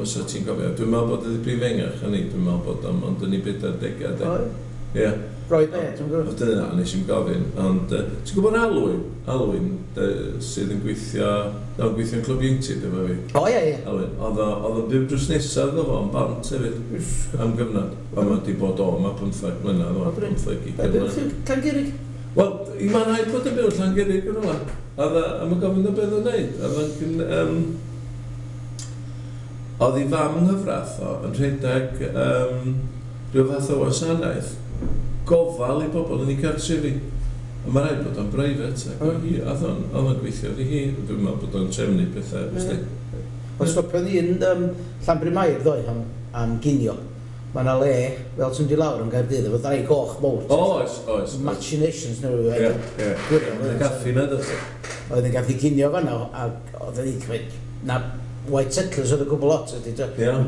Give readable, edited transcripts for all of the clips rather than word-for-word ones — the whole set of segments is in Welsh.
Os ti'n gofio. Dwi'n meddwl bod ydi brifengach yn ni, dwi'n meddwl bod o'n ond yn ei 40au, de. Ie. Roy be, ti'n gwybod? O, dyna, nes i'm gofyn, ond ti'n gwybod Alwyn? Alwyn, sydd yn gweithio, no, gweithio yn Clwb Ieuenctid efo fi. O, ie, ie. Alwyn, oedd o'n byw drws nesaf iddo fo, yn Bont hefyd, am gyfnod. Ond mae 'di bod o yma 15 mlynedd, o, 15 Be, byw Llangurig? Wel, i mae'n rhaid bod yn byw Llangurig yn rhywle. A mae'n gofyn o beth o'n neud. Oedd ei fam yng nghyfraith o yn rhedeg rhyw fath o wasanaeth gofal i bobl yn ei cartrefi. A mae rhaid bod o'n breifat. Ac oedd hi, oedd o'n gweithio iddi hi. Dwi'n meddwl bod o'n trefnu pethau. Yeah. Ond stopiodd hi yn Llanbryn-mair ddoe am ginio. Mae yna le, fel ti'n mynd i lawr yn Gaerdydd, efo ddau goch mowr. Oes, oes. Machinations neu rhywbeth. Ie, ie. Y caffi na, does? Oedd yn gaffi ginio fan'na, ac oedd yn cymryd, na White Settlers oedd y gwbl lot, ydy,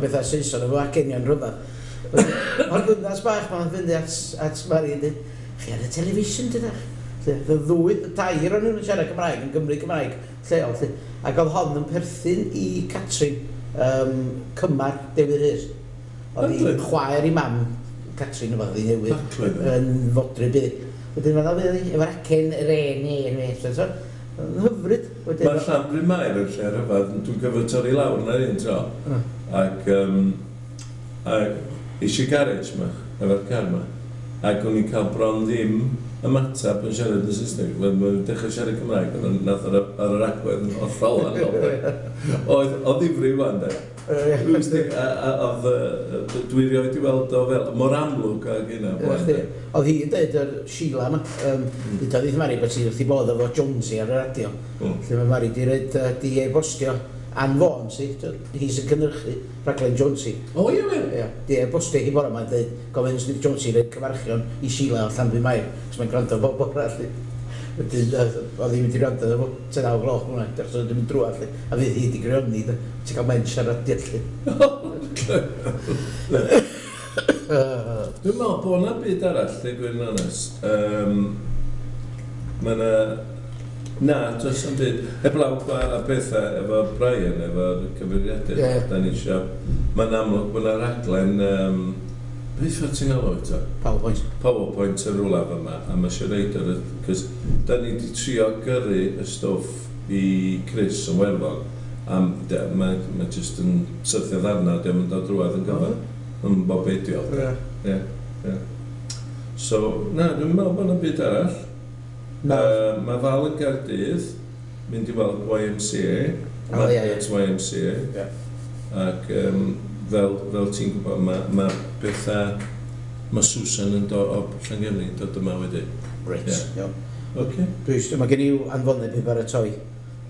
bethau Saeson efo acenion rhyfedd. O'r ddynas bach ma'n fynd at Mari yn dweud, chi ar y television, dydach? Y ddwy, tair o'n nhw'n siarad Cymraeg, yn Gymru Cymraeg lleol, lle. Ac oedd hon yn perthyn i Catrin, cymar Dewi Rhys. Oedd hi'n chwaer i mam Catrin, oedd hi newydd, yn fodryb iddi. Wedyn mae'n dda hi, efo'r acen re, ne, ne, so, yn hyfryd. Mae Llanbryn-mair yn lle rhyfedd, dwi'n cyfod torri lawr na un tro. Ac eisiau garage yma, efo'r car yma. Ac o'n i'n cael bron ddim ymateb yn siarad yn Saesneg. Mae'n dechrau siarad Cymraeg, ond nath ar yr agwedd yn hollol wahanol. Oedd o ddifri wan, de. Oedd dwi rioed i weld o fel, mor amlwg ag yna. Oedd hi'n dweud yr Sheila yma, dweud wrth Mari bod hi wrth ei bodd efo Jonesy ar y radio. Lle mae Mari di roed, di e-bostio Ann Vaughan, si, hi sy'n cynhyrchu rhaglen Jonesy. O, ie, ie. Ie, di e-bostio hi bore yma, dweud, gofyn Jonesy roed cyfarchion i Sheila o Llanbryn-mair, cos mae'n gwrando bob bore, allu. Wedyn, oedd hi'n mynd i wrando efo 9 gloch hwnna, dechrau oedd yn mynd drwy, allu. A fydd hi wedi grioni, ti'n cael men siarad, allu. Dwi'n meddwl bod yna byd arall, dweud gwir yn onest. Mae yna... Na, does na'm byd. Heblaw a pethau efo Brian, efo'r cyfeiriadur, da ni isio. Mae'n amlwg bod yna raglen... Beth oedd ti'n galw eto? PowerPoint. PowerPoint yn rhywle yma, a mae eisiau reid ar y... Cos da ni wedi trio gyrru y stwff i Chris yn Werddon, a mae jyst yn syrthio ddarna, diolch yn dod drwadd yn gyfer. Yn bob beidio. Ie, ie. So, na, dwi'n meddwl bod yna byd arall. Mae Val yn Gaerdydd, mynd i weld YMCA. O, ie, ie. YMCA. Ac fel ti'n gwybod, mae pethau... Mae Susan yn dod o Llangefni, dod yma wedyn. Reit, iawn. Oce. Mae gen i anfoneb i baratoi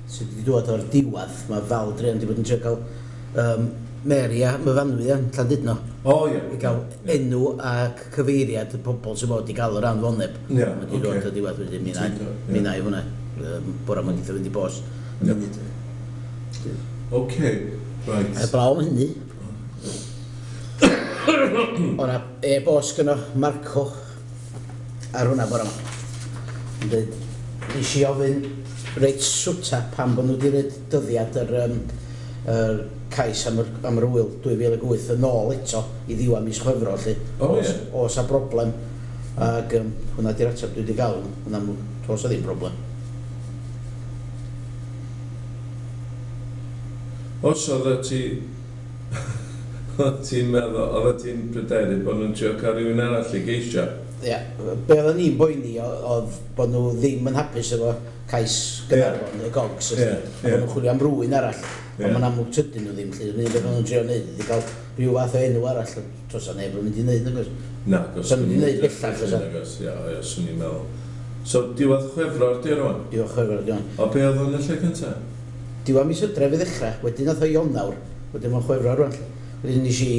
sydd wedi dod o'r diwedd. Mae Val druan wedi bod yn trio cael Mary a Myfanwy yn Llandudno. O, ie. I gael enw ac cyfeiriad y pobl sy'n bod i gael yr anfoneb. Ie, Mae wedi dod o'r diwedd wedyn, mi wna i hwnna. Bora mae'n eitha fynd i bost. Oce, right. Heblaw am hynny. O'na e-bost gynno Marco ar hwnna bora yma. Yn dweud, nes i ofyn reit swta pam bod nhw wedi rhoid dyddiad yr cais am yr ŵyl 2008 yn ôl eto i ddiwedd mis Chwefror, lly. O, ie. Oes a broblem. Ac hwnna di'r ateb dwi wedi gael, yn amlwg, does a ddim broblem. Os oedd ti... Oedd ti'n meddwl, oedd ti'n pryderu bod nhw'n trio cael rhywun arall i geisio? Ie, be oedden ni'n boeni oedd bod nhw ddim yn hapus efo cais Gaernarfon, y Gogs, a bod nhw'n chwilio am rywun arall. Ond mae'n amlwg tydyn nhw ddim, lly. Yr unig beth maen nhw'n trio wneud ydy cael rhyw fath o enw arall. Does 'na neb yn mynd i wneud, nag oes? Na, gos Sa'n mynd i wneud bellach, oes? Nag oes, ie, ie, swn i'n meddwl. So, diwedd Chwefror, di rwan? Diwedd Chwefror, di rwan. O, be oedd o'n y lle cynta? Diwedd mis Hydref i ddechrau, wedyn nath o Ionawr, wedyn mae'n Chwefror rwan. Wedyn nes i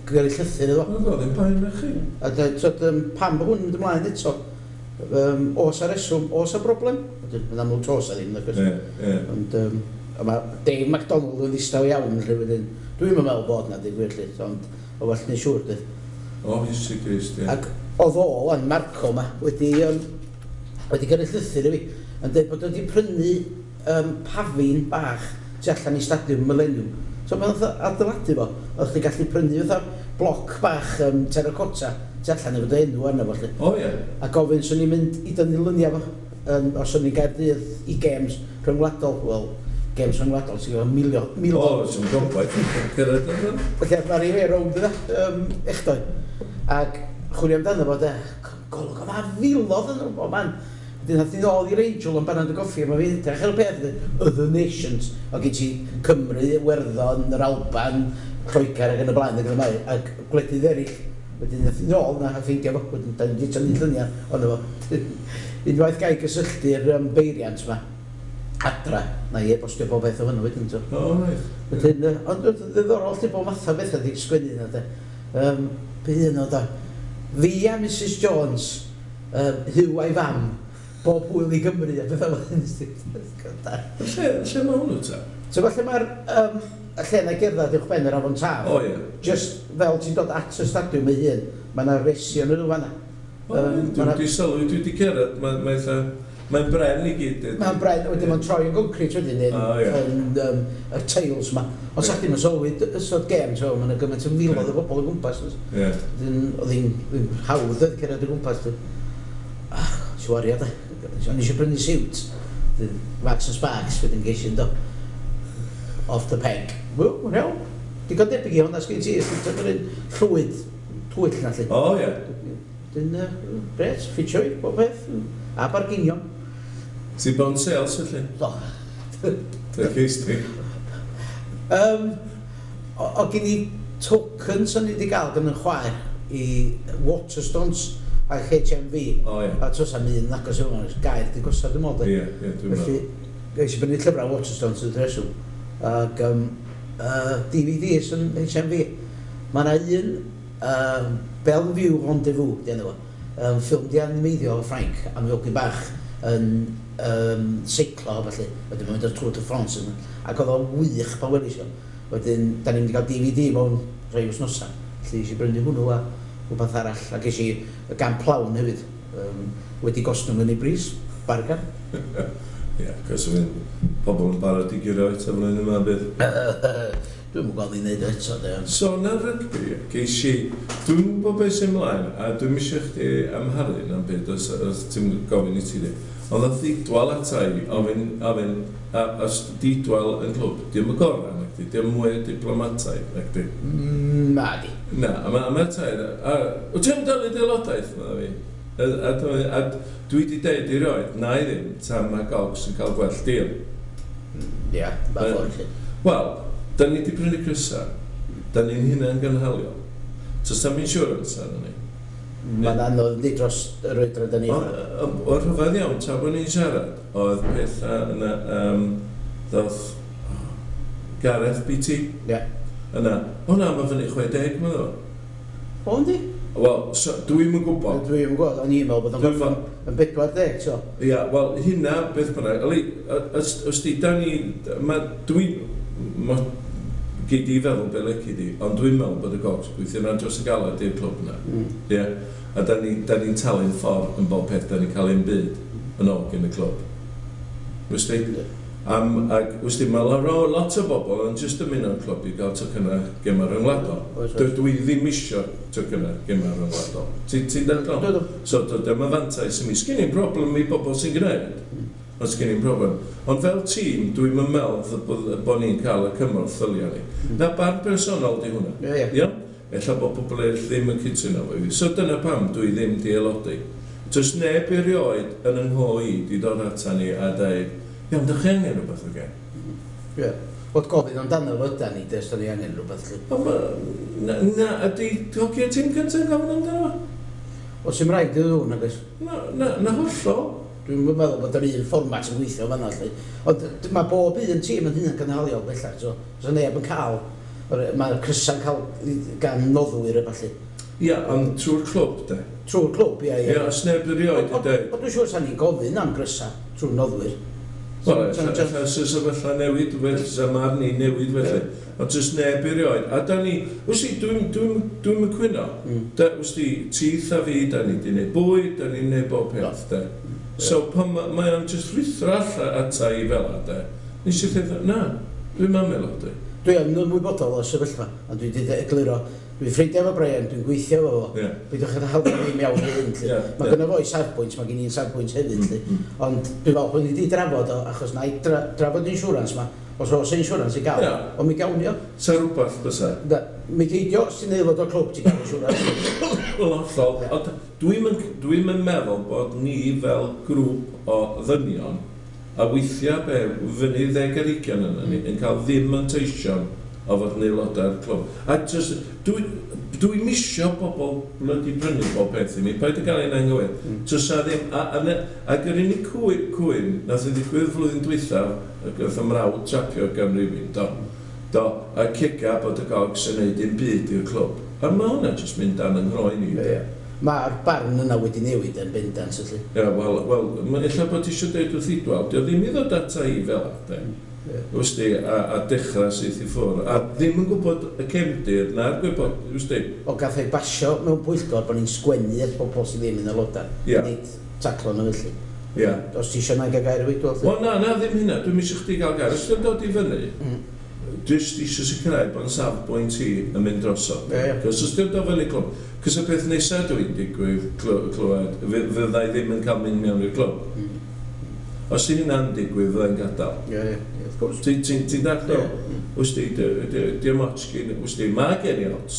gyrru llythyr iddo fo. Oedd o ddim paen na chi. A dweud, pam bod hwn yn mynd ymlaen eto? Oes a reswm, oes a broblem? Wedyn, mae'n amlwg tos a ddim, nag oes? Ie, ie. Ond a mae Dave MacDonald yn ddistaw iawn, lle wedyn. Dwi'm yn meddwl bod na, deud gwir, lle, ond o well neu siŵr, dweud. O, Iesu Grist, ie. Ac oedd o, wan, Marco ma, wedi gyrru llythyr i fi, yn dweud bod wedi prynu pafin bach tu allan i Stadiwm Millennium. So pan oedd adeiladu fo, oedd chdi gallu prynu fatha bloc bach terracotta tu allan efo dy enw arno fo, 'lly. O ie. A gofyn swn i'n mynd i dynnu luniau fo, os o'n i'n Gaerdydd i games rhyngwladol, wel, games rhyngwladol, ti'n gwybod, milio, O, sy'n gobaith yn cyrraedd yna. Felly, mae'r i rownd yna, echdoi. Ac chwilio amdano fo, de, golwg, oedd a filodd yn o man. Wedyn nath ni ddod i'r Angel yn banad y goffi, a mae fi'n edrych ar y peth, Other Nations, o gen ti Cymru, Iwerddon, yr Alban, Lloegr ac yn y blaen ac yn y blaen, ac gwledydd eraill. Wedyn nath ni nôl na a ffeindio fo, wedyn da ni wedi tynnu lluniau ono fo. Unwaith gai gysylltu'r beiriant ma, adra, na i e-bostio bob beth o hwnnw wedyn. So. O, reit. Wedyn, ond ddiddorol lle bod math o bethau wedi sgwennu yna, de. Be un o da? Fi a Mrs Jones, Huw a'i fam, bob hwyl i Gymru a bethau fel hyn. Lle mae hwnnw ta? So falle mae'r y lle na gerdded uwch ben yr Afon Taf. O ie. Just fel ti'n dod at y stadiwm ei hun, mae yna resi yn nhw fanna. O, Dwi wedi sylwi, dwi wedi cerdded, mae'n bren i gyd. Dydi? Mae'n bren, wedyn mae'n troi yn concrete wedyn yn, O, ie. yn y tiles ma. Ond sa chdi'm yn sylwi ystod gêm, so mae yna gymaint o miloedd o bobl o gwmpas. Oes. Ie. Wedyn oedd hi'n hawdd oedd cerdded o gwmpas. Dwi. Ah, si wario de. O'n i eisiau prynu siwt. Wedyn, Marks and Sparks, wedyn geis i do. Off the peg. Wel, mae'n iawn. Digon debyg i hwnna sgyn ti, ysdi ti'n un llwyd, twyll na lle. O, ie. Wedyn, gret, ffitio i, bob peth. A barginion. Ti bon sales, felly? Do. Dwi'n ceis ti. O gen i tokens o'n i wedi gael gan yn chwaer i Waterstones a HMV. O, ie. A tos am un agos yma, gair di gosod dwi'n meddwl. Ie, ie, dwi'n Felly, meddwl. ges i brynu llyfrau Waterstones yn reswm. Ac DVDs yn HMV. Mae yna un Bellevue Rendezvous, di enw fo. Ffilm di animeiddio o Ffrainc am hogyn bach yn seiclo felly. Wedyn mae'n mynd ar Tour de France yna. Ac oedd o'n wych pan welis i o. Wedyn, da ni'n mynd i gael DVD mewn rhai wythnosau. Felly, eisiau brynu hwnnw a rhywbeth arall. A ges i y Gamp Lawn hefyd. Wedi gostwng yn ei bris, bargan. Ie, cos o'n pobl yn barod i guro eto flwyddyn yma bydd. Dwi'm yn gweld ni'n neud o eto, de. Ond So, na rygbi, geis i, dwi'n gwybod beth sy'n mlaen, a dwi'n eisiau chdi amharu na'n byd, os ti'n gofyn i ti di. Ond oedd Didwal ata i, ofyn, a, os Didwal yn clwb, di'm y gorau, nag di, di'm mwy diplomataidd, nag di. Na di. Na, a mae ma tair, a, wyt ti am dalu dy aelodaeth, medda fi? A dwi wedi deud i roed, na i ddim, tan mae Gogs yn cael gwell deal. Ia, ma ffordd lle. Wel, da ni wedi prynu crysa, da ni'n hunain gynhaliol. Does am insurance arno ni. Mae'n anodd yndi dros yr oedran da ni. O rhyfedd iawn, tra bod ni'n siarad, oedd pethau yna, ddoth Gareth BT yna. O na, mae fyny 60, mae'n ddo. O, yndi? Wel, so, dwi'm yn gwybod. Dwi'm yn gwybod, o'n i'n meddwl bod o'n gorffen yn 40, so. Ia, wel, hynna, beth bynnag. Oli, os di, da ni, ma, dwi'n, ma, gei di feddwl be lici di, ond dwi'n meddwl bod y Gogs gweithio yna dros y galed i'r clwb yna. Ie, a da ni'n ni talu'n ffordd yn bob peth, da ni'n cael un byd yn ôl gen y clwb. Wys di? Ac, wys di, mae lot o bobl yn just ymuno o'r clwb i gael tocynnau gemau rhyngwladol. Oes, oes. Dwi ddim isio tocynnau gemau rhyngwladol. Ti'n dadlau? Dwi, dwi. So, dyma fantais i mi. Sgyn i'n broblem i bobl sy'n gwneud. Ond sgyn i'n broblem. Ond fel tîm, dwi'n meddwl bod ni'n cael y cymorth ddylia ni. Na barn personol di hwnna. Ie, ie. Iawn? Ella bod pobl eraill ddim yn cytuno efo fi. So dyna pam dwi ddim di aelodi. Does neb erioed yn yng ngho i di dod ata ni a dweud, iawn, dych chi angen rhywbeth o gen? Ie. Bod gofyn amdano fo ydan ni, de, os da ni angen rhywbeth, lly. Ond na, ydy hogia tîm cyntaf yn gofyn amdano fo? Oes dim rhaid iddyn nhw, nag oes? Na, na, na hollol. Dwi'n meddwl bod yr un fformat yn gweithio fan'na, lly. Ond mae bob un tîm yn hunan gynhaliol bellach, so, so neb yn cael, mae'r crysa'n cael gan noddwyr a ballu. Ia, ond trwy'r clwb, de. Trwy'r clwb, ia, ia. Ia, os neb erioed i dweud. Ond dwi'n siŵr sa'n ni'n gofyn am grysa trwy'r noddwyr. Wel, ella sy'n sefyllfa newid, felly, sa marn i newid, felly. Ond jyst neb erioed. A da ni, wsti, dwi'm yn cwyno. Da, wsti, tith a fi, da ni di wneud bwyd, da ni'n wneud bob peth, de. So, pan mae o'n jyst rhuthro allan ata i fel de, nes i ddeud, na, dwi'm am aelodi. Dwi yn ymwybodol o'r sefyllfa, ond dwi wedi egluro, dwi'n ffrindiau efo Brian, dwi'n gweithio efo fo. Peidiwch â hawlio fi mewn i hyn, lly. Mae gynno fo ei safbwynt, mae gen i'n safbwynt hefyd, lly. Ond dwi'n falch bod ni wedi drafod o, achos na i drafod insurance ma, os oes insurance i gael, ond mi gawn ni o. Sa rhywbeth bysa? Da, mi geidio, os ti'n aelod o'r clwb, ti'n gael insurance. Wel, hollol. Ond dwi'm yn meddwl bod ni fel grŵp o ddynion, a weithiau be, fyny 20 ar 20 yna ni, yn cael ddim manteision o fod yn aelodau'r clwb. A just, dwi'n misio bobl blydi prynu bob peth i mi, paid â gael ein anghywir. Tysa ddim, ac yr unig cwyn nath i ddigwydd flwyddyn dwythaf, ac oedd y mrawd trapio gan rywun, do, a cica bod y Gogs yn neud dim byd i'r clwb. A mae hwnna jyst mynd dan yng nghroen i. Ie. Mae'r barn yna wedi newid yn bendant, felly. Ie, wel, ella bod ti eisiau dweud wrth Idwal, dio ddim i ddod ata i fel ade. Wsti, a dechrau syth i ffwrdd. A ddim yn gwybod y cefndir na'r gwybod, wsti. O gath ei basio mewn pwyllgor bod ni'n sgwennu at bobl sydd ddim yn aelodau. Nid taclo nhw felly. Os ti eisiau na gael gair i Idwal? Wel na, ddim hynna. Dwi'n eisiau chdi gael gair. Os ti'n dod i fyny, jyst eisiau sicrhau bod yn safbwynt i yn mynd drosodd. Cos os ti'n dod fyny clwb, cos y peth nesaf dwi'n digwydd clywed, fyddai ddim yn cael mynd mewn i'r clwb. Os ti'n hynna'n digwydd, fyddai'n gadael. Ie, wrth gwrs. Ti'n dallt o? Wsti, di'm ots gyn, wsti, mae gen i ots.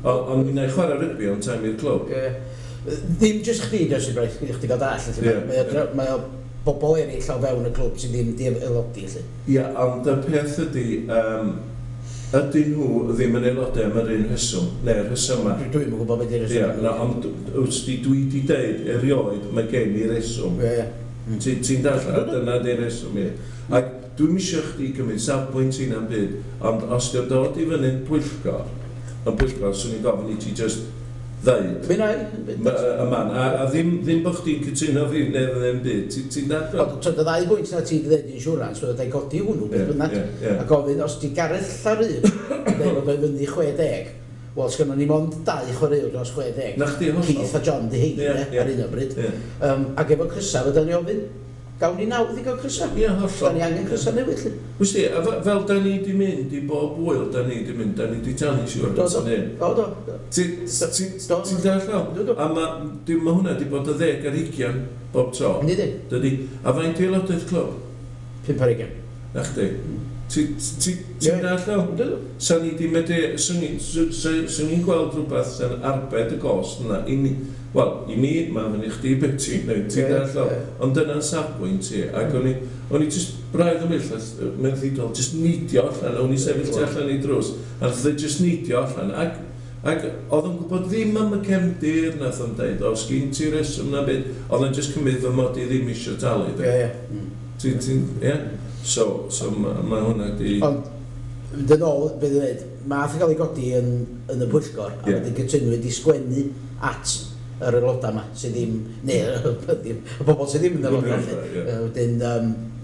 Ond mi wna i chwarae rygbi ond time i'r clwb. Ddim jyst chdi, Joseph Bryce, chdi gael dall, felly. Mae o bobl eraill o fewn y clwb sydd ddim di aelodi, felly. Ie, ond y peth ydy, ydyn nhw ddim yn aelodau am yr un rheswm, neu'r rhesymau. Dwi'm yn gwybod beth yw'r rheswm. Ie, na, ond wsti, dwi di deud erioed, mae gen i reswm. Ie. Ti'n dallt, a dyna di'r reswm i. Ac dwi'm isio chdi gymryd safbwynt i na'm byd, ond os di'n dod i fyny'n pwyllgor, yn pwyllgor, swn i'n gofyn i ti just ddeud. Mi wna i. Y man, a ddim bod chdi'n cytuno fi neu ddim byd, ti'n dallt? Ond y ddau bwynt na ti wedi dweud insurance, oedd ei godi hwnnw, beth bynnag. A gofyn, os di Gareth Llaryd yn dweud bod o'i fyny 60, wel, sgynnon ni mond 2 chwaraewr dros 60. Na chdi, hollol. Keith a John di heini, ar un o bryd. Ac efo crysa, fydda ni ofyn, gawn ni nawdd i gael crysa. Ie, hollol. Da ni angen crysa newydd, lly. Wsti, a fel da ni di mynd i bob wyl, da ni di mynd, da ni di talu siwr Do, yn hyn. Do. Ti'n dallt o? Do. A mae hwnna di bod y 10 ar 20 bob tro. Yndi di. Dydi. A faint i aelodaeth clwb? 5 ar 20. Na chdi. Ti'n dallt o? Do. Sa ni di medru, swn i'n gweld rhywbeth sy'n arbed y gost yna. Wel, i mi, mae'n fyny chdi beth ti'n gwneud, ti'n dallt o? Ond dyna'n safbwynt i. Ac o'n i jyst braidd o myll, mewn ddidol, jyst neidio allan, o'n i sefyll tu allan i drws, a nath o jyst neidio allan. Ac oedd o'n gwybod ddim am y cefndir, nath o'n deud, os gyn ti reswm na byd, oedd o'n jyst cymryd fy mod i ddim eisiau talu. Ti'n, ie? So mae hwnna di... Ond, dyn ôl, beth dwi'n dweud, math yn cael ei godi yn y pwyllgor, a wedyn cytunwyd i sgwennu at yr aelodau yma, sydd ddim, neu, y bobl sydd ddim yn aelodau, felly. Wedyn,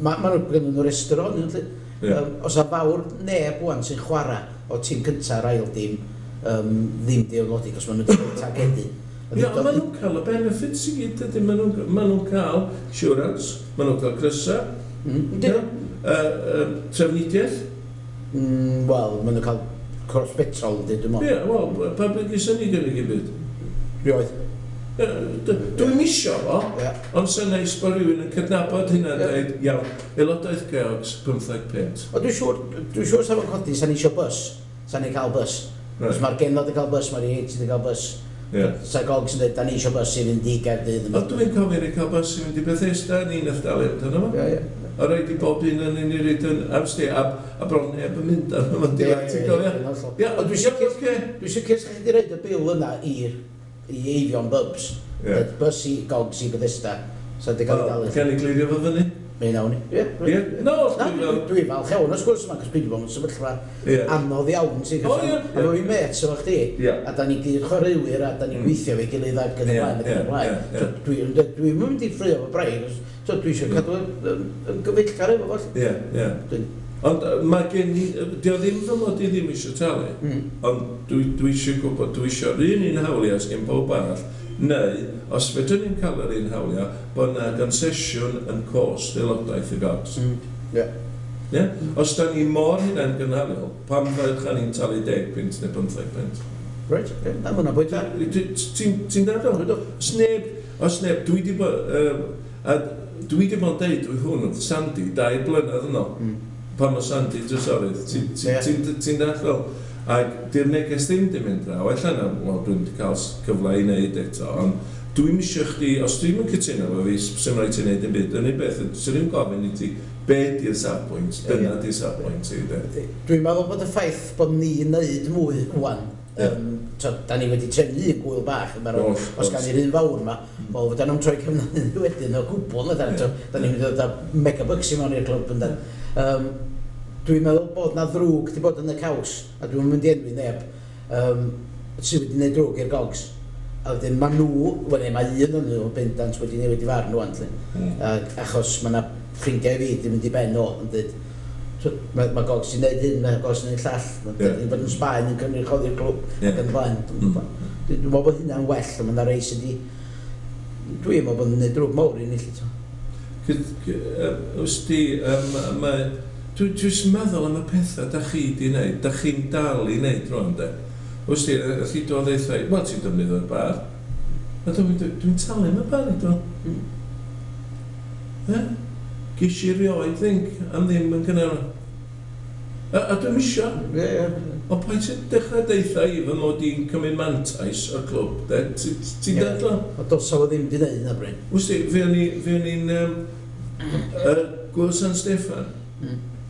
ma' nhw gynnon nhw restr ohonyn nhw, felly. Os a fawr neb ŵan sy'n chwarae o tîm cynta'r ail dîm, ddim di aelodi, cos ma' nhw wedi cael targedu. Ie, ond ma' nhw'n cael y benefits i gyd, dydyn, ma' nhw'n cael insurance, ma' nhw'n cael crysa, trafnidiaeth. Wel, ma' nhw'n cael cross petrol, yndi, dwi'n meddwl. Ie, wel, pa bryd gyson ni gynnig i byd? Rioed. Dwi'm isio fo, ond sy'n neis bod rhywun yn cydnabod hynna a dweud, iawn, aelodaeth Geogs, 15 punt. O, dwi'n siŵr sa fo'n codi, sa'n isio bus, sa'n ni'n cael bus. Os mae'r genod yn cael bus, mae'r ieuenctid yn cael bus. Sa Gogs yn dweud, da ni isio bus i fynd i Gaerdydd. O, dwi'n cofio ni cael bus i fynd i Bethesda, ni'n nath dalu amdano fo. A rhaid i bob un yn un i reid yn amsdi, a bron neb yn mynd arno fo'n diwedd, ti'n cofio? Ie, ond dwi'n sicr sa chi 'di roid y bil yna i Eifion Bubs. Bus i Gogs i Bethesda. Sa di gael ei dalu. Can i glirio fo fyny? Mi wnawn ni. Ie. No, dwi'n falch iawn o sgwrs yma, cos dwi wedi bod mewn sefyllfa anodd iawn, ti'n gwybod? A fo fi mêts efo chdi, a da ni gyd chwaraewyr, a da ni'n gweithio efo'i gilydd ac yn y blaen, ac yn y blaen. Dwi'n mynd i ffrio fo braidd, so dwi eisiau cadw yn gyfeillgar efo fo. Ie, ie. Ond mae gen i, dio ddim fy mod i ddim eisiau talu, ond dwi eisiau gwybod, dwi eisiau'r un hawliau sy gen pob arall, neu, os fedrwn ni'n cael yr un hawliau, bod yna concesiwn yn cost aelodaeth y Gogs. Ie. Yeah? Os da ni mor hynna'n gynhaliol, pam fydda ni'n talu 10 punt neu 15 punt? Reit, okay. Na, mae hwnna'n bwynt da. Ti'n dadl? Os neb, os neb, dwi di bod, a dwi di bod yn deud dwi hwn wrth Sandy 2 blynedd yn ôl. Pan mae Sandy drysorydd, ti'n dadl? Ac di'r neges ddim di mynd draw, ella na, wel, dwi'n di cael cyfle i wneud eto, ond dwi'n isio chdi, os dwi'n yn cytuno efo fi, sy'n rhaid ti wneud dim byd, yr unig beth, swn i'n gofyn i ti, be di'r safbwynt, dyna di'r safbwynt i, de. Dwi'n meddwl bod y ffaith bod ni'n neud mwy wan, da ni wedi trefnu un gwyl bach, os gan i'r un fawr yma, wel, fydda nhw'n troi cefn wedyn o gwbl, na, da ni'n mynd i ddod â megabucks i mewn i'r clwb, yndan. Dwi'n meddwl bod na ddrwg di bod yn y caws, a dwi'n mynd i enwi neb, sydd wedi gwneud drwg i'r Gogs. A wedyn ma nhw, wel mae un o'n nhw bendant wedi newid i farn rwan, achos mae yna ffrindiau fi di mynd i ben o, yn dweud, mae Gogs i wneud hyn, mae Gogs i wneud llall, mae bod yn Sbaen yn cynrychioli'r clwb, ac yn y blaen. Dwi'n meddwl bod hynna'n well, a mae yna rei sydd wedi, dwi'n meddwl bod yn gwneud drwg mawr i ni, lly. Wst ti, mae, dwi'n jyst meddwl am y pethau da chi di wneud, da chi'n dal i wneud rwan, de. Wst ti, wrth i dod eitha, wel, ti'n defnyddio'r bar. A dwi'n talu am y bar i dod. E? Ges i rioed ddinc am ddim yn cynnar. A dwi'n isio. Ond paid ti'n dechrau deitha i fy mod i'n cymryd mantais o'r clwb, de? Ti'n dadlau? O dosa fo ddim di wneud yna, Bryn. Wst ti, fe o'n i'n Gwyl San Steffan.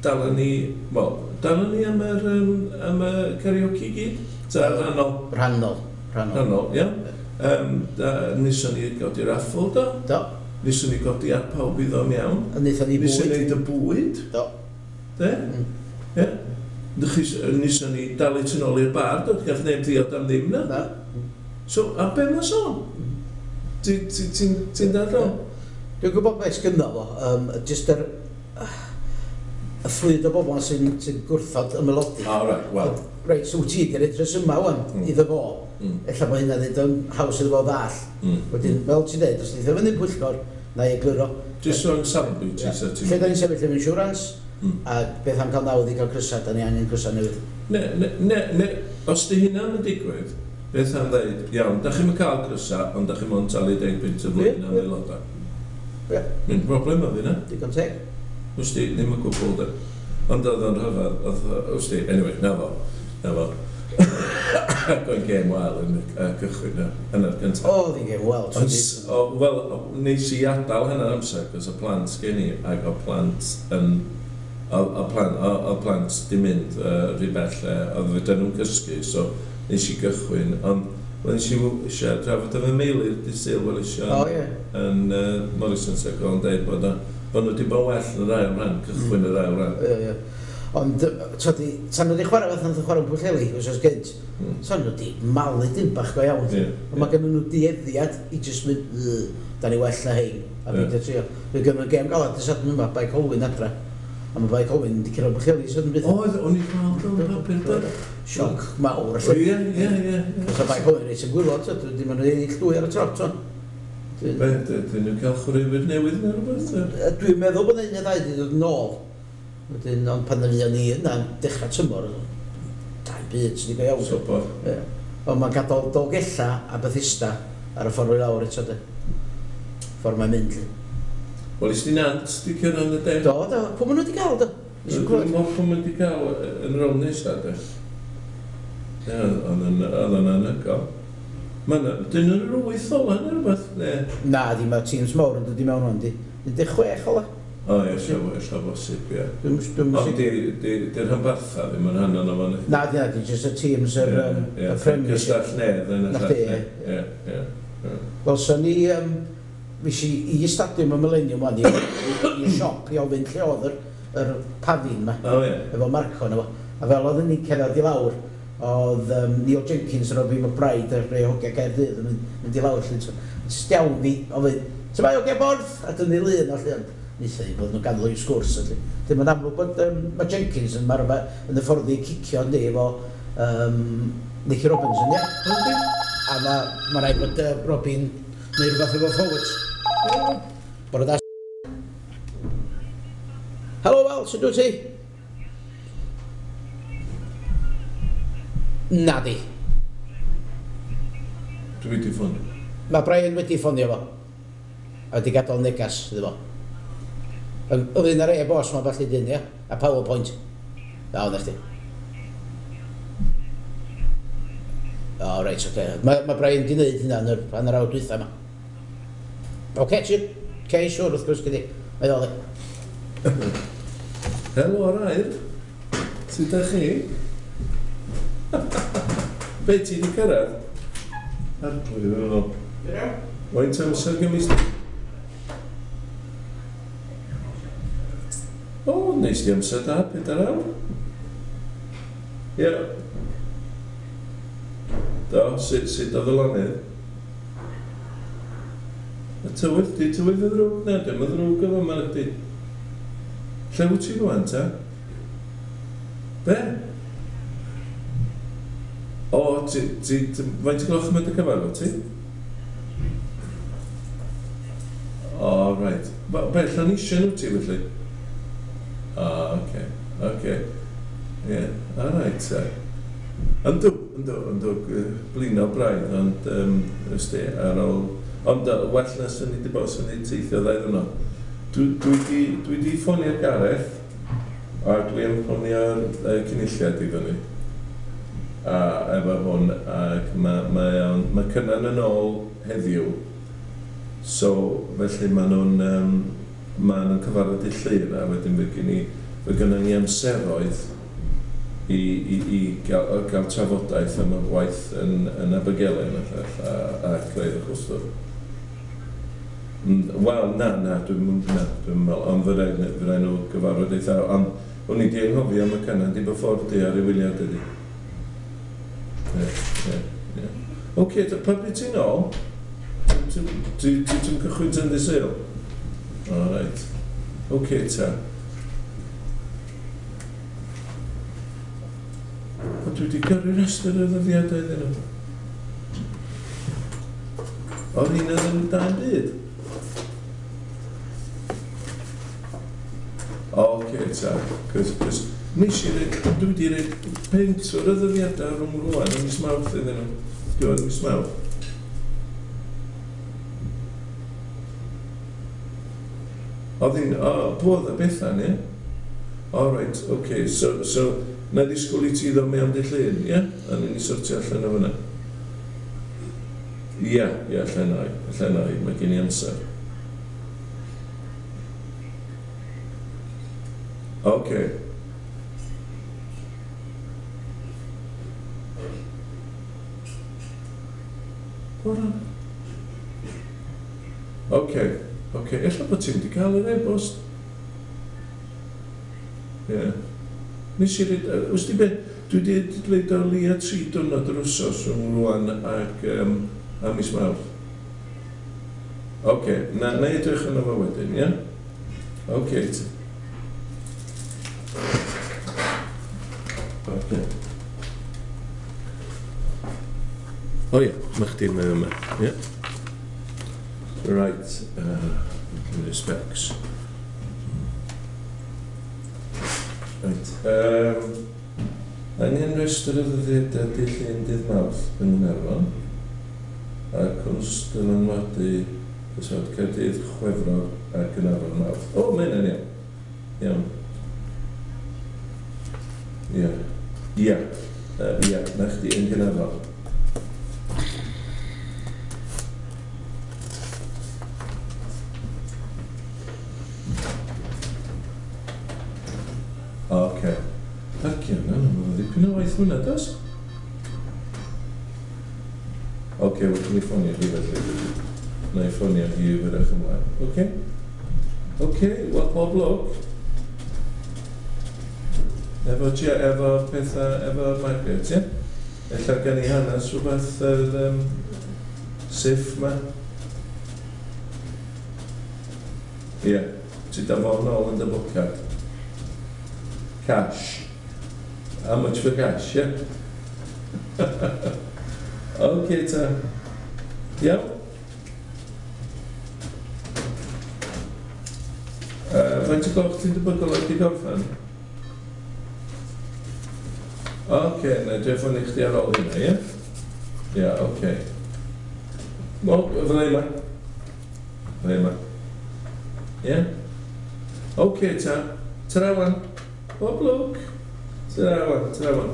Dala ni, wel, dala ni am y karaoke gyd? Ta rhannol? Rhannol. Rhannol, ia. Neswn ni godi raffle, do? Do. Neswn ni godi ar pawb i ddom iawn. A wnaethon ni bwyd. Neswn ni neud y bwyd. Do. De? Ie. Neswn ni dalu tu nôl i'r bar, do? Gath neb ddiod am ddim, na? Na. So, a be mae'n sôn? Ti'n dadl? Dwi'n gwybod beth sgynno fo, jyst yr y fflyd o bobl sy'n gwrthod y melodi. Ah, right, wel. Reit, so wyt ti di roid rhesymau wan iddo fo. Ella bod hynna'n neud o'n haws iddo fo ddall. Wedyn, fel ti'n dweud, os neith o fyny'n pwyllgor, na i egluro. Jyst o'n safbwynt ti, sa ti'n... Lle da ni'n sefyll efo insurance, a beth am cael nawdd i gael crysau, da ni angen crysau newydd. Ne, os di hynna'n yn digwydd, beth am ddeud, iawn, da chi'm yn cael crysau, ond da chi'm ond talu 10 punt y flwyddyn am aelodau. Mae'n broblem oedd hynna. Digon teg. Wst ti, ddim yn gwbl, de. Ond oedd o'n rhyfedd, oedd, wst ti, anyway, na fo. Ac o'n gêm wael yn y cychwyn yn yr gyntaf. Oedd hi'n gêm wael. Wel, nes i adael hynna'r amser, cos y plant gen i, ac o plant yn... O plant di mynd rhy bell, oedd fydden nhw'n cysgu, so nes i gychwyn, ond nes i eisiau drafod efo Meilir dydd Sul, wel eisiau yn Morrison Circle, yn dweud bod nhw wedi bod well yn yr ail rhan, cychwyn yr ail rhan. Ie. Ond, tan nhw wedi chwarae fath nath nhw chwarae yn Pwllheli, wsos gynt, tan nhw wedi malu dim bach go iawn. Ond mae gen nhw dueddiad i jyst mynd, da ni well na hein, a beidio trio. Mae gen nhw gêm galad y Sadwrn yma, Bae Colwyn adra. A mae Bae Colwyn wedi cyrraedd Pwllheli, Sadwrn byth. Oedd, o'n i'n gweld o'n papur, do. Sioc mawr. Ie. Os o Bae Colwyn reit yn gwylod, dim ond ennill 2 ar y tro, to. Be, dyn nhw'n cael chwaraewyr newydd neu rhywbeth? Dwi'n meddwl bod un neu ddau wedi dod yn ôl. Wedyn, ond pan fuon ni yna'n dechrau tymor, da'n byd sydd wedi go iawn. Sobor. Ie. Ond mae'n gadael Dolgella a Bethesda ar y ffordd i lawr eto, de. Ffordd mae'n mynd, lly. Wel, is di Nant di cyrraedd y de? Do, do. Pwy maen nhw wedi cael, do? Dwi'n meddwl pwy maen nhw wedi cael yn rownd nesaf, de. Ie, oedd o'n anhygoel. Dyn nhw'n yr 8 ola neu rhywbeth, ne? Na, di, mae teams mawr yn dod i mewn o'n di. 16 ola. O, ie, ella bosib, ie. Ond di'r rhanbartha ddim yn rhan o'n fan. Na, di, jyst y teams yr Premiership. Cystall Nedd yn y llall. Ie. Wel, so ni, fes i i stadiwm y Millennium wan, i siop i ofyn lle oedd yr pafin ma. O, ie. Efo Marco na fo. A fel oedden ni'n cerdded i lawr, oedd Neil Jenkins a Robbie McBride a rhai hogia Caerdydd yn mynd i lawr lle. Jyst iawn fi, ofyn, ti'n mae hogia Borth? A dynnu lun o lle, ond wnaethon ni bod nhw'n ganol i'w sgwrs. Dim yn amlwg bod mae Jenkins yn marfer yn y ffordd i cicio yndi efo Nicky Robinson, ie? A mae rhaid bod Robin neu rhywbeth efo forwards. Bore da. Helo, Wel, sut wyt ti? Nadi. Dwi wedi ffonio. Mae Brian wedi ffonio fo. A wedi gadael negas iddo fo. Ynglyn â'r e-bost ma ballu dyn, ia? A PowerPoint. O, na chdi. O, reit, oce. Mae Brian di wneud hynna yn yr hanner awr dwytha yma. Oce, ti... Oce, siwr, wrth gwrs, gydi. Mae ddol i. Helo, Arair. Sut ydych chi? Be, ti wedi cyrraedd? Arglwydd yn ôl. Faint amser gymys... O, neis di amser da, 4 awr. Ie. Do, sut oedd y lonydd? Y tywydd, di tywydd y ddrwg? Na, dim y ddrwg efo yma ydy. Lle wyt ti rwan, ta? Be? O, ti, faint o gloch yn mynd y cyfarfod, ti? O, reit. Be, Llanisien wyt ti, felly? O, oce, oce. Ie, o, reit, ta. Yndw, blino braidd, ond, ysdi, ar ôl... Ond well na sy'n ni wedi bod, sy'n ni teithio ddau ddwrnod. Dwi wedi ffonio'r Gareth, a dwi am ffonio'r cynulliad i fyny. A efo hwn, ac mae Cynan yn ôl heddiw. So, felly maen nhw'n cyfarfod i Llyr, a wedyn fe gynnon ni amseroedd i gael trafodaeth am y gwaith yn Abergele a creu'r clwstwr. Wel, na, dwi'n meddwl, ond fe rai nhw gyfarfod eitha, ond o'n i di anghofio am y Cynan di bod ffordd di ar ei wyliad ydi. Ie. Oce, pa bryd ti'n ôl? Ti'n cychwyn tan dydd Sul? O, reit. Oce, ta. O, dwi wedi gyrru rhestr o ddyddiadau iddyn nhw. O'r un oedd yn da'n byd? O, oce, ta. Cos nes i reid, dwi wedi reid pentwr o ddyddiadau rhwng rwan yn mis Mawrth iddyn nhw. Diwedd mis Mawrth. Oedd hi'n, o, pwy oedd y Bethan, ie? O, reit, oce, so, na ddisgwyl i ti ddod mewn dy llun, ie? A ni'n i sortio allan o fyna. Ie, allan o'i, mae gen i amser. Oce. Oce, ella bod ti'n wedi cael yr e-bost. Ie. Nes i reid, wrth di be, dwi wedi dweud o leia 3 diwrnod yr wsos rhwng rwan ac a mis Mawrth. Oce, na i edrych yno fo wedyn, ie? Oce. Oce. O ie, mae chdi'n mynd yma, ie? Right, cymryd specs. Right, angen rhestr o ddyddiadau dydd Llun dydd Mawrth yn Nghaernarfon, a cwrs dylanwadu Cyswllt Caerdydd, Chwefror a Gaernarfon Mawrth. O, mae hynna'n iawn. Iawn. Ie. Ie. Ie, na chdi yn Gaernarfon. Oce. Darcio yna, mae'n ddipyn o waith hwnna, does? Oce, wedyn ni ffonio hi felly. Na i ffonio hi wyrach ymlaen. Oce? Oce, wel, pob lwc. Efo pethau, efo Margaret, ie? Ella gen i hanes rhywbeth yr siff ma. Ie, ti da fo nôl yn dy bocad. Cash. How much for cash, yeah? Okay, ta. Iawn? Faint o gloch ti'n debygol oed i gorffen? Oce, na i ffonio chdi ar ôl hynna, ie? Ie, oce. Wel, fydda i yma. Fydda i yma. Ie? Oce, ta. Ta-ra wan. Bob lwc. Ta-ra wan, ta-ra wan.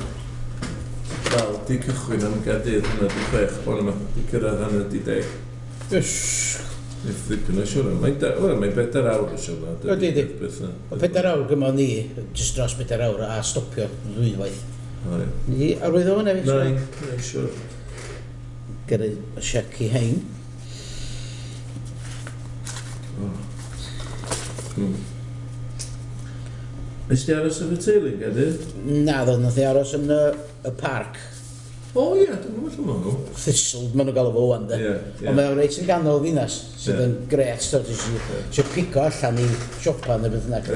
Wel, di cychwyn am Gaerdydd 5:30 bore yma. Di cyrraedd 9:30. Yes. Nid ddipyn o siwrna. Mae'n wel, mae'n 4 awr o siwrna. Ydy, ydy. O 4 awr gymo ni, jyst dros 4 awr, a stopio ddwywaith. O, ie. Ni arwyddo hwnna fi? Na, na, siwr. Gyrru y siec i hein. Oh. Nes di aros efo teulu, Gaerdydd? Na, ddo, nath i aros yn y parc. O ie, dwi'n gwybod lle maen nhw. Thistle, maen nhw'n galw fo wan, de. Ie, ie. Ond mae o'n reit yn ganol ddinas, sydd yn gret, so ti eisiau pigo allan i siopa neu beth bynnag.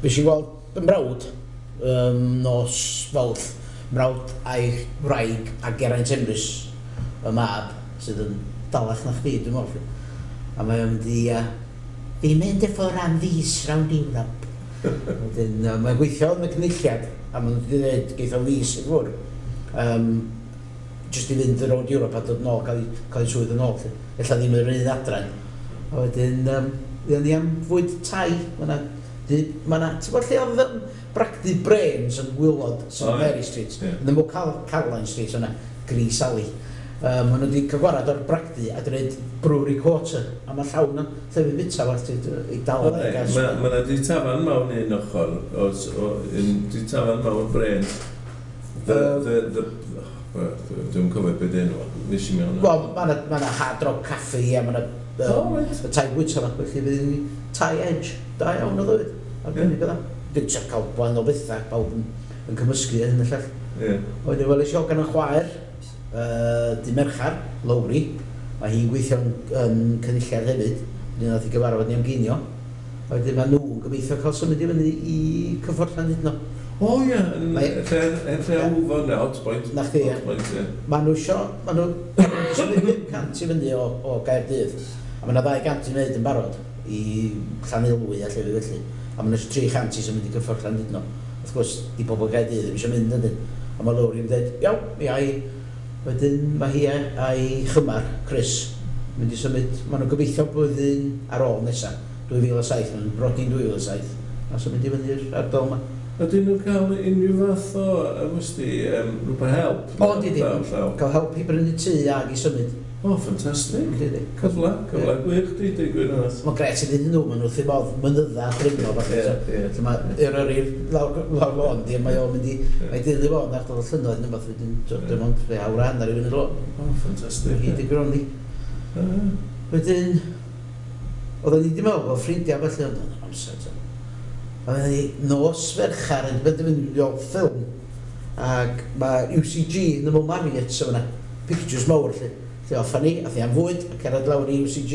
Fes i gweld fy mrawd nos Fawrth, mrawd a'i wraig a Geraint Emrys, y mab, sydd yn dalach na chdi, dwi'n meddwl. A mae o'n mynd i, fi'n mynd i ffwrdd am fis rownd Ewrop. Wedyn, mae'n gweithio yn y cynulliad, a maen nhw wedi dweud, geith o fis i ffwrdd. Just i fynd rownd Ewrop a dod nôl, cael ei swydd yn ôl, lly. Ella ddim yr un adran. A wedyn, fuon ni am fwyd Thai. Ma' na, ti'n gwybod lle oedd bragdy Brains yn gwaelod St O, ie. Mary Street? Ie. Yn ymwyl Caroline Street yna, Gris Alley. Maen nhw wedi cael gwarad o'r bragdy a dweud Brewery Quarter. A mae llawn o llefydd bita fach i dal O, Mae ma 'na di tafarn mewn un ochr, o, un di tafarn mewn Brains. The, oh, dwi'n cofio beth enw, nes i mewn. Wel, mae yna ma Hard Rock Cafe a mae yna O, reit. y Thai bwyta yma, felly fydd ni Thai Edge, da iawn o ddweud. Arbennig o dda. Dwi'n trio cael gwahanol bethau, pawb yn cymysgu hyn y llall. Wedyn weles i hogan yn chwaer, di Merchar, Lowri. Mae hi'n gweithio yn cynulliad hefyd. Wedyn nath i gyfarfod ni am ginio. A wedyn mae nhw'n gobeithio cael symud i fyny i Cyffordd Llandudno. O ie, yn lle, yn lle Wfo na, Hotpoint. Na chdi, ie. Hotpoint, ie. Mae nhw isio, mae nhw symud 500 i fyny o Gaerdydd. A mae yna 200 i wneud yn barod i Llanelwy a llefydd felly. A mae nhw isio 300 i symud i Cyffordd Llandudno. Wrth gwrs, di bobl Gaerdydd ddim eisiau mynd ydyn. A mae Lowry'n dweud, iawn, mi ai. Wedyn mae hi a'i chymar, Chris, mynd i symud, maen nhw'n gobeithio blwyddyn ar ôl nesaf, 2007, maen nhw'n brodi'n 2007, a symud i fyny'r ardal yma. Ydyn nhw'n cael unrhyw fath o, wsti, rhywbeth help? O, di, di. Llaw, llaw. Cael help i brynu tŷ ag i symud. O, ffantastig. Di, di. Cyfle gwych, di, di, gwir onest. Mae'n gret iddyn nhw, maen nhw wrth eu bodd mynydda a dringo falle. Ie, ie. Lle mae Eryri lawr lôn, di, a mae o'n mynd i, mae deulu fo yn ardal y llynnoedd neu beth, wedyn, dim ond rhai awr a hanner i fynd i'r lôn. O, ffantastig. Hi di gronni. Wedyn, oedden ni wedi meddwl bod ffrindiau felly, ond oedd amser. To. A wedyn ni nos Ferchar yn benderfynu i weld ffilm, ac mae UCG yn ymwyl Marriott sef yna, pictures mawr lle. Lle offa ni, ath ni am fwyd, a cerdded lawr i UCG.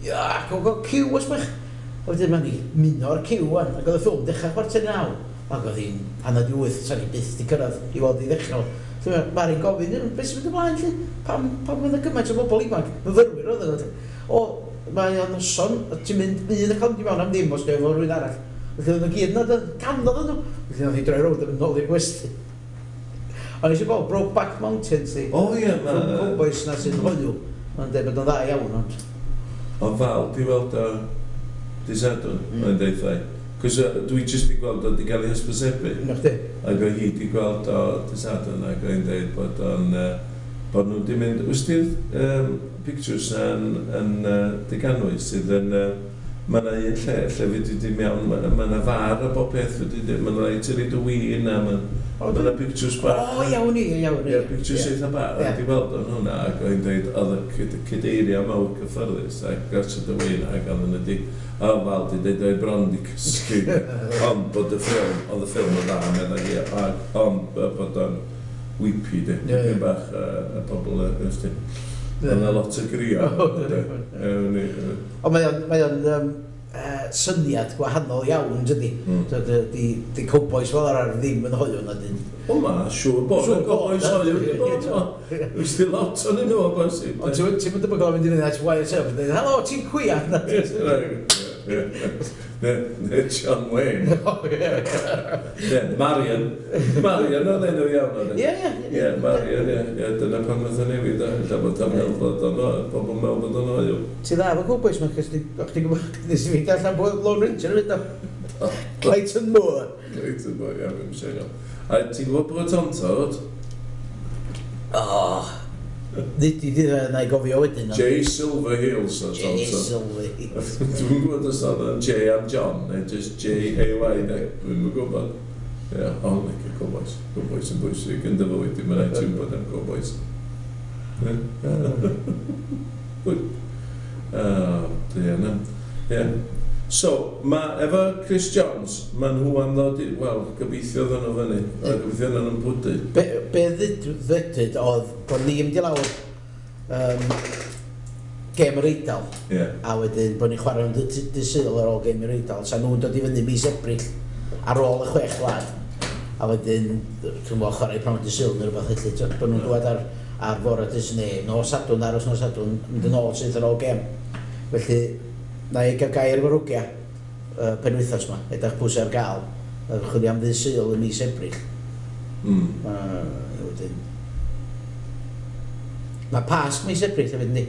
Ia, ac o'n gael ciw os bach. A wedyn mae'n ni muno'r ciw wan, ac oedd y ffilm dechrau 8:45. Ac oedd hi'n 7:30, sa'n ni byth di cyrraedd i weld i ddechrau. Lle mae Mari'n gofyn, "Beth sy'n mynd ymlaen lle? Pam oedd y gymaint o bobl ifanc? Myfyrwyr oedd nhw." O, mae o'n noson, a ti'n mynd un yn cael mynd i mewn am ddim os dwi'n efo rhywun arall. Felly oedd nhw gyd yna, canodd nhw. Felly oedd hi droi rownd a mynd nôl i'r gwesty. Ond eisiau gweld Brokeback Mountain, ti. O ie, ma' Cowboys na sy'n hoyw. Mae'n dweud bod o'n dda iawn, ond... O fel, di weld o di Sadwrn, mae'n deithau. Cos dwi jyst di gweld o di gael ei hysbysebu. Na chdi. Ac oedd hi di gweld o di Sadwrn ac oedd hi'n dweud bod o'n... Bod nhw di mynd... Wys ti'r pictures na yn Deganwy sydd yn... Mae yna un lle, lle fyddi di mewn, mae yna far a bob peth fyddi di, mae yna rhaid ti reid y win a mae yna pictures bach. O, iawn i, iawn i. Ie, pictures eitha bach, a di weld o'n hwnna, ac oedd hi'n dweud, oedd y cadeiriau mawr cyffyrddus, ac gosod y win, ac oedd nhw di, o, fel, di dweud, oedd bron di cysgu, ond bod y ffilm, oedd y ffilm yn dda, meddai hi, ond bod o'n weepy, di, dipyn bach, y pobl, ys di. Oedd yna lot o grio. Ond mae o'n syniad gwahanol iawn, dydy. Di cowboys fel arfer ddim yn hoyw na dyn. O ma, siŵr bod. Siŵr bod, Cowboys hoyw di bod. Wys di lot o'n nhw o bosib. Ond ti'n mynd debygol o fynd i fyny at Wyatt Earp yn dweud, "Helo, ti'n cwiar?" Na. Neu John Wayne. O, ie. Ie, Marion. Marion oedd enw iawn oedd e. Ie, ie. Ie, Marion, ie. Ie, dyna pan nath o newid o. Ella bod o'n meddwl bod o'n pobl meddwl bod o'n hoyw. Ti dda efo Cowboys ma, cos o'ch ti'n gwybod, nes i fynd allan bod Lone Ranger yn mynd o. Clayton Moore. Clayton Moore, ie, fi'n siarad. A ti'n gwybod bod o'n tod? O, nid i ddi na i gofio wedyn. Jay Silverheels o Jay Tonto. Silverheels. Dwi'n gwybod os oedd o'n J am John, neu just J-A-Y, neu dwi'n gwybod. Ie, ond licio Cowboys. Cowboys yn bwysig yn dy fywyd i, mae'n rhaid ti'n bod am Cowboys. Good. Ie, na. Ie. So, ma, efo Chris Johns, ma nhw am ddod i, wel, gobeithio ddod nhw fyny, a gobeithio ddod nhw'n pwdu. Be ddwedwyd oedd bod ni'n mynd i lawr gêm yr Eidal, a wedyn bod ni'n chwarae yn dy Sul ar ôl gêm yr Eidal, sa nhw'n dod i fyny mis Ebrill ar ôl y 6 gwlad, a wedyn, dwi'n gwybod, chwarae prawn dy Sul neu rhywbeth felly, bod nhw'n dod ar fore dy Sul neu nos Sadwrn, aros nos Sadwrn, mynd yn ôl syth ar ôl gêm. Felly, na i gael gair efo'r hogia penwythnos yma, edrych pwysau ar gael, chwilio am ddydd Sul yn mis Ebrill. Wedyn. Mae Pasg mis Ebrill hefyd, yndi?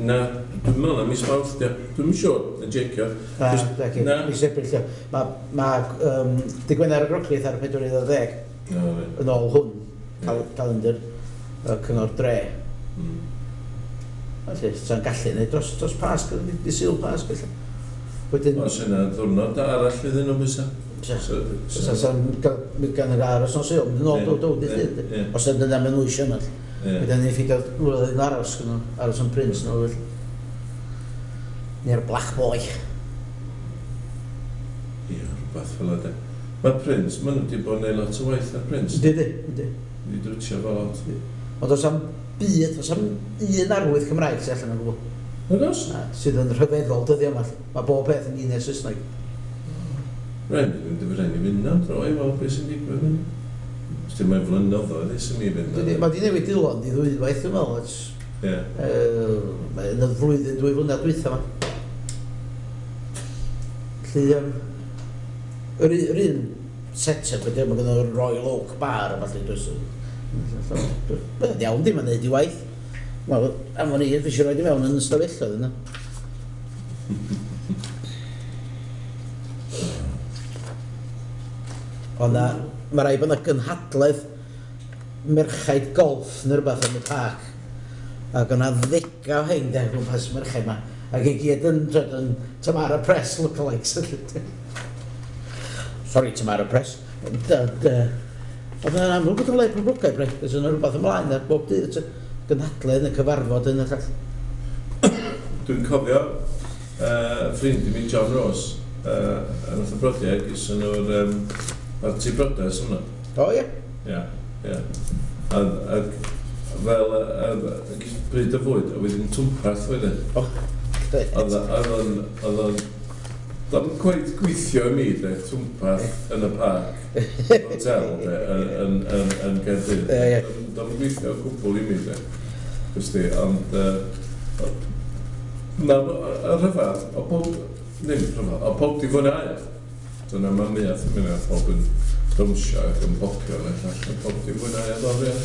Na, dwi'n meddwl na mis Mawrth, ia. Dwi'm yn siŵr, yn jecio. Na, mis Ebrill, ia. Mae dydd Gwener y Groglith ar y 40, yn ôl hwn, calendar Cyngor Dre. Felly, sa'n gallu neud dros Pasg, dydd Sul Pasg, felly. Wedyn... Os yna ddiwrnod arall iddyn nhw bysa. Sa'n gan yr aros nos Sul, mynd yn ôl, dod, dydd Llun. Os yna maen nhw eisiau yma. Wedyn ni'n ffeindio rhywle yn aros, aros yn Prince, nhw, felly. Neu'r Black Boy. Ie, rhywbeth fel yna. Mae Prince, maen nhw wedi bod yn neud lot o waith ar Prince. Yndi, yndi. Wedi dwtio fo lot. Ond oes am byd, oes am un arwydd Cymraeg sy'n allan o gwbl. Nag oes? Na, sydd yn rhyfeddol dyddiau yma. Mae bob peth yn un neu Saesneg. Rhaid i fynd am dro i weld beth sy'n digwydd. Os ti'n mae'n flynyddoedd ers i mi fynd. Mae di newid Dilon di ddwywaith, dwi'n meddwl. Ie. Mae yn y flwyddyn, 2 flynedd dwytha yma. Felly, yr un set-up ydy, mae gen nhw'r Royal Oak Bar a falle, does. Mae'n iawn di, mae'n neud i waith. Wel, am o'n i, fi eisiau rhoi i mewn yn ystafelloedd yna. Ond na, mae rhaid bod yna gynhadledd merchaid golff neu rhywbeth yn y parc. Ac o'na ddega o hein de, gwmpas merchaid yma. Ac i gyd yn Tamara Press lookalikes. Sorry, Tamara Press. Oedd yna'n amlwg bod yn le poblogaidd, bre. Oes yna rhywbeth ymlaen ar bob dydd, gynhadledd neu cyfarfod yn y llall. Dwi'n cofio ffrind i mi, John Rose, yn wrth y brodiau, gyson nhw'r parti briodas yna. O, ie? Ie, ie. A fel bryd o fwyd, a wedyn twmpath wedyn. O, Oedd o'n... Do'n cweit gweithio i mi, de, twmpath yn y parc, hotel, de, yn Caerdydd. Do'n gweithio o gwbl i mi, de. Gwsti, ond... Na, y rhyfedd, o pob... Ddim rhyfedd, o pob di fwynhau. Dyna mae miath yn mynd, pob yn dawnsio ac yn popio, neu llall, o pob di fwynhau o ddod, ie.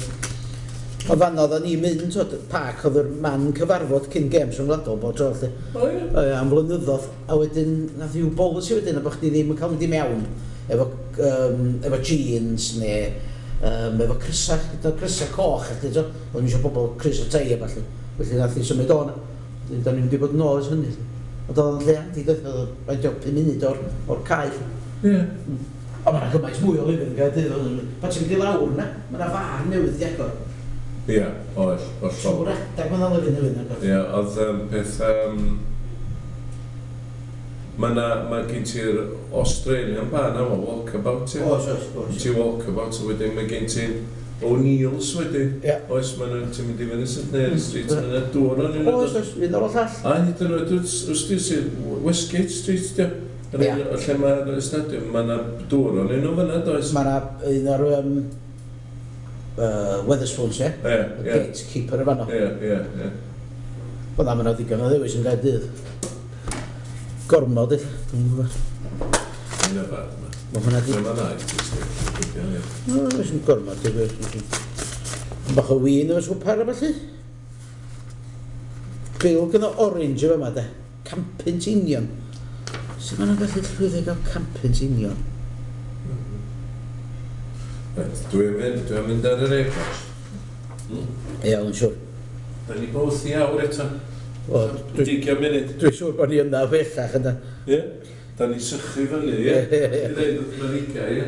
O fan oedden ni'n mynd, twyd, parc oedd yr man cyfarfod cyn games rhyngwladol bob tro, felly. O, ie. Am flynyddoedd, a wedyn, nath i'w bolisi wedyn, a bod chdi ddim yn cael mynd i mewn efo jeans neu efo crysau, gyda crysau coch, felly, twyd. Oedden ni eisiau pobl crys o tei a ballu. Felly nath i symud o'n, da ni'n mynd i bod yn ôl ers hynny. Ond oedd o'n lle handi, doedd, oedd o'n faint o 5 munud o'r cae. Ie. O, mae 'na gymaint mwy o lefydd yn Gaerdydd. Pan ti'n mynd i lawr na, mae 'na far newydd di agor. Ie, oes, hollol. Trwy'r adag mae'n lefydd newydd yn agor. Ie, oedd peth... Mae gen ti'r Australian bar na, Walkabout, ie. Oes, oes, oes. Ti Walkabout, a wedyn mae gen ti O'Neill's wedyn. Ie. Oes, mae nhw'n ti'n mynd i fyny St Mary Street, mae yna dŵr o'n un. Oes, oes, un ar ôl llall. A hyd yn oed, wrth ti sydd Westgate Street, di. Lle mae'r stadiwm, mae yna dŵr o'n un o fyna, does? Mae yna un o'r Wetherspoons, ie? Ie, ie. Gatekeeper y fanno. Ie, ie, ie. Wel na, mae yna ddigon o ddewis yn Gaerdydd. Gormod, ella. Dwi'n gwybod. Mae'n yfad yma. Mae hwnna di. Mae'n dda i ti, Steve. Ie. O, sy'n gormod, dwi'n gwybod. Bach o win efo swpar a ballu. Bil gyda orange efo yma, de. 100 punt union. Sut maen nhw'n gallu llwyddo i gael 100 punt union? Reit, dwi'n mynd ar yr e-bost. Iawn, siwr. Da ni both i awr eto. O, dwi, 20 munud. dwi siŵr bod ni yna bellach yna. Ie. Da ni sychu fyny, ie. Ie, ie, ie. I ddeud wrth Marika, ie.